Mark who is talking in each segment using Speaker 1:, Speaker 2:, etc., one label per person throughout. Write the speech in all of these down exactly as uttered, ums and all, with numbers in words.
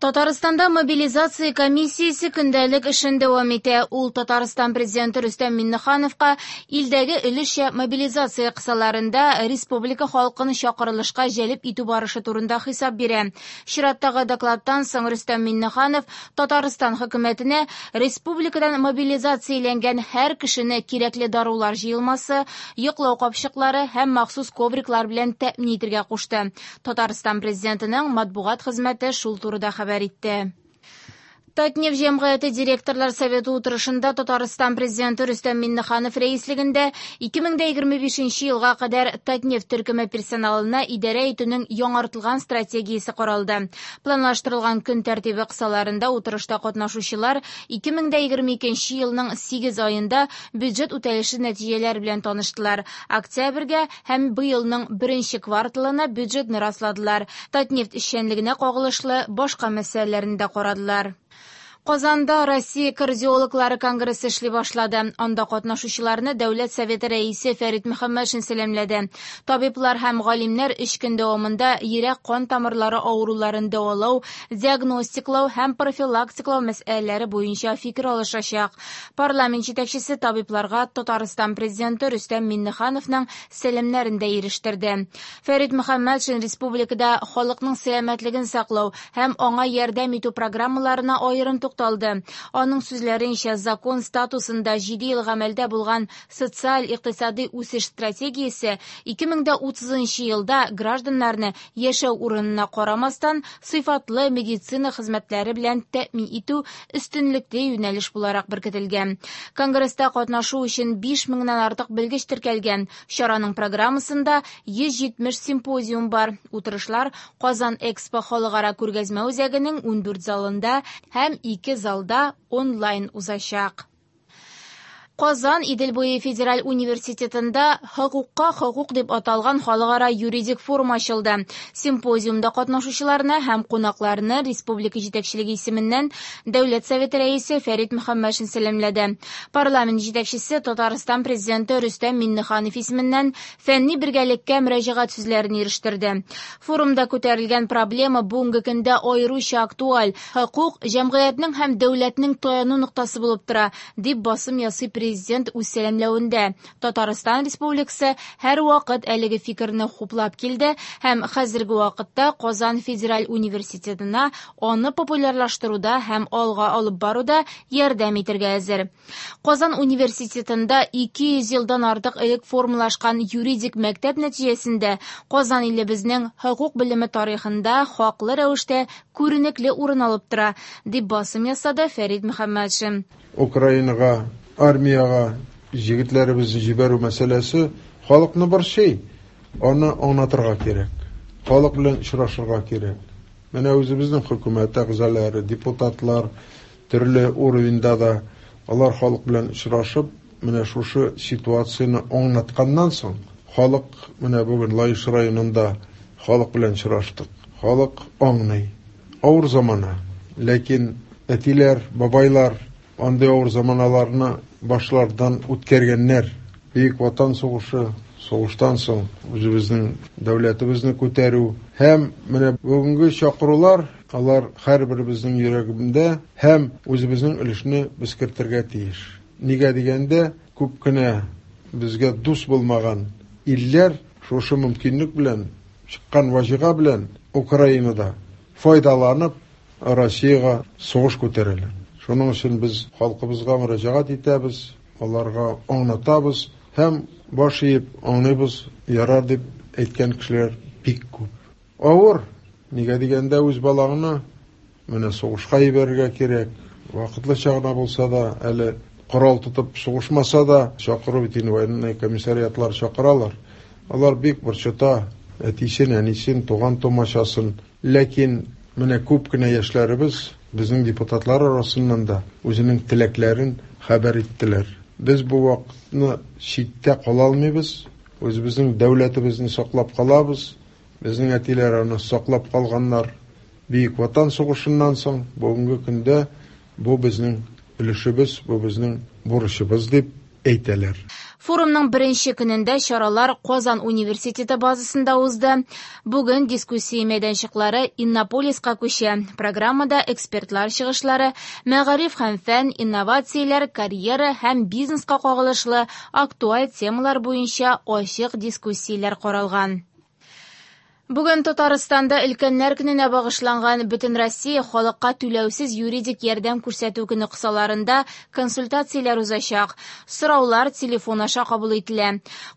Speaker 1: Татарстанда мобилизация комиссиясе көндәлек эшен дәвам итә. Ул Татарстан президенты Рөстәм Миңнехановка илдәге өлешчә мобилизация кысаларында республика халкын чакырылышка җәлеп итү барышы турында хисап бирә. Чираттагы докладтан соң Рөстәм Миңнеханов Татарстан хөкүмәтенә республикадан мобилизацияләнгән һәр кешене кирәкле дарулар җыелмасы, йоклау капчыклары һәм махсус ковриклар белән тәэмин итәргә кушты. Татарстан президентының матбугат хезмәте шул турыда хәбәр итте. Татнефть җәмгыяте директорлар советы утырышында Татарстан президенты Рөстәм Миңнеханов рәислегендә ике мең егерме бишенче елга кадәр Татнефть төркеме персоналына идарә итүнең яңартылган стратегиясе каралды. Планлаштырылган көн тәртибе кысаларында утырышта катнашучылар ике мең егерме икенче елның сигез аенда бюджет үтәлеше нәтиҗәләре белән таныштылар. Октябрьгә һәм быелның беренче кварталына бюджетны расладылар. Татнефть эшчәнлегенә кагылышлы башка мәсьәләләрне дә карадылар. Казанда Россия кардиологлары конгрессы эшли башлады. Анда катнашучыларны Дәүләт Советы рәисе Фәрит Мөхәммәтшин сәламләде. Табиблар һәм галимнәр өч көн дәвамында йөрәк кан тамырлары авыруларын дәвалау, диагностиклау һәм профилактиклау мәсьәләләре буенча фикер алышачак. Парламент җитәкчесе табибларга Татарстан президенты Рөстәм Миңнехановның сәламнәрен дә ирештерде. Фәрит Мөхәммәтшин республикада халыкның сәламәтлеген саклау һәм аңа ярдәм итү программаларына аерым тукталды. Аның сүзләренчә, закон статусында җиде ел гамәлдә булган социаль-икътисади үсеш стратегиясе ике мең утызынчы елда гражданнарны яшәү урынына карамастан сыйфатлы медицина хезмәтләре белән тәэмин итү өстенлекле юнәлеш буларак беркетелгән. Конгресста катнашу өчен биш меңнән артык белгеч теркәлгән. Чараның программасында йөз җитмеш симпозиум бар. Утырышлар Казан Экспо халыкара күргәзмә үзәгенең ундүрт залында һәм ике залда онлайн узачак. Казан Идел буе федераль университетында хокукка хокук дип аталган халыкара юридик форум ачылды. Симпозиумда катнашучыларны һәм кунакларны республика җитәкчелеге исеменнән Дәүләт Советы рәисе Фәрит Мөхәммәтшин сәламләде. Парламент җитәкчесе Татарстан президенты Рөстәм Миңнеханов исеменнән фәнни бергәлеккә мөрәҗәгать сүзләрен ирештерде. Форумда күтәрелгән проблема бүгенге көндә аеруча актуаль. Хокук җәмгыятьнең һәм дәүләтнең таяну ноктасы булып тора, дип басым ясый президент. Президент үз сәламләвендә. Татарстан Республикасы һәр вакыт әлеге фикерне хуплап килде һәм хәзерге вакытта Казан федераль университетына аны популярлаштыруда һәм алга алып баруда ярдәм итәргә әзер. Казан университетында ике йөз елдан артык элек формалашкан юридик мәктәп нәтиҗәсендә Казан илебезнең хокук белеме тарихында хаклы рәвештә күренекле урын алып тора, дип басым ясады Фәрит Мөхәммәтшин.
Speaker 2: Украинага армияга җегетләребезне җибәрү мәсьәләсе халыкны борчый. Аны аңлатырга кирәк. Халык белән очрашырга кирәк. Менә үзебезнең хөкүмәт әгъзалары, депутатлар төрле уровеньда да алар халык белән очрашып, менә шушы ситуацияне аңлатканнан соң, халык менә бүген Лаеш районында халык белән очраштык. Халык аңлый. Авыр замана, ләкин әтиләр, бабайлар андый авыр заманаларны башлардан үткәргәннәр. Бөек Ватан сугышы, сугыштан соң үзебезнең дәүләтебезне күтәрү һәм менә бүгенге чакырулар, алар һәрберебезнең йөрәгендә һәм үзебезнең өлешне без кертергә тиеш. Нигә дигәндә, күп кенә безгә дус булмаган илләр шушы мөмкинлек белән, чыккан ваҗига белән Украинада файдаланып Россиягә сугыш күтәрәләр. Шуның өчен без халкыбызга мөрәҗәгать итәбез, аларга аңлатабыз һәм баш иеп аңлыйбыз, ярар дип әйткән кешеләр бик күп. Авыр, нигә дигәндә үз балаңны менә сугышка җибәрергә кирәк, вакытлыча гына булса да, әле корал тотып сугышмаса да, чакыру бит инде военный комиссариатлар чакыралар. Алар бик борчыта әтисен, әнисен, туган тумачасын. Ләкин менә күп кенә яшьләребез безнең депутатлар арасыннан да үзенең теләкләрен хәбәр иттеләр. Без бу вакытны читтә кала алмыйбыз, үзебезнең дәүләтебезне саклап калабыз. Безнең әтиләр аны саклап калганнар. Бөек Ватан сугышыннан соң бүгенге көндә бу безнең өлешебез, бу безнең бурычыбыз дип әйтәләр.
Speaker 1: Форумның беренче көнендә чаралар Казан университеты базасында узды. Бүген дискуссия мәйданчыклары Иннополиска күчә. Программада экспертлар чыгышлары, мәгариф һәм фән, инновацияләр, карьера һәм бизнеска кагылышлы актуаль темалар буенча ачык дискуссияләр каралган. Бүген Татарстанда Өлкәннәр көненә багышланган Бөтенроссия халыкка түләүсез юридик ярдәм күрсәтү көне кысаларында консультацияләр узачак. Сораулар телефон аша кабул ителә.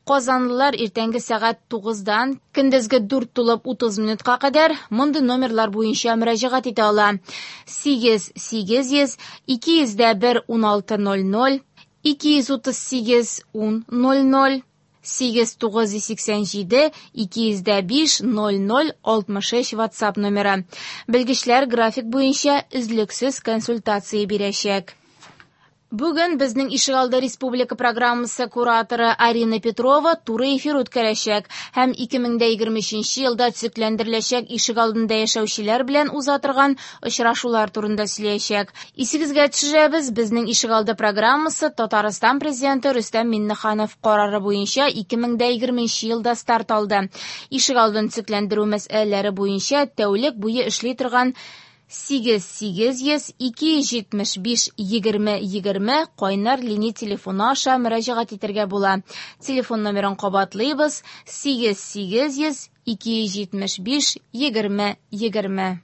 Speaker 1: Казанлылар иртәнге сәгать тугыздан көндезге дүрт тулып утыз минутка кадәр мондый номерлар буенча мөрәҗәгать итә ала: сигез сигез йөз, ике йөз дә бер уналты ноль ноль, ике йөз утыз сигез ун ноль ноль, сигез тугыз йөз сиксән җиде, ике йөз дә биш ноль ноль алтмыш өч WhatsApp номеры. Белгечләр график буенча өзлексез консультация бирәчәк. Бүген безнең Ишегалды республика программасы кураторы Арина Петрова туры эфир үткәрәчәк һәм ике мең дә егерме өченче елда төзекләндереләчәк ишегалдында яшәүчеләр белән уза торган очрашулар турында сөйләячәк. Исегезгә төшерәбез, безнең Ишегалды программасы Татарстан президенты Рөстәм Миңнеханов карары буенча ике мең дә егерменче елда старт алды. Ишегалдын төзекләндерү мәсьәләләре буенча тәүлек буе эшли торган сигез сигез йөз, ике йөз җитмеш биш егерме егерме кайнар линия телефоны аша мөрәҗәгать итәргә була. Телефон номерын кабатлыйбыз: сигез сигез йөз, ике йөз җитмеш биш егерме егерме.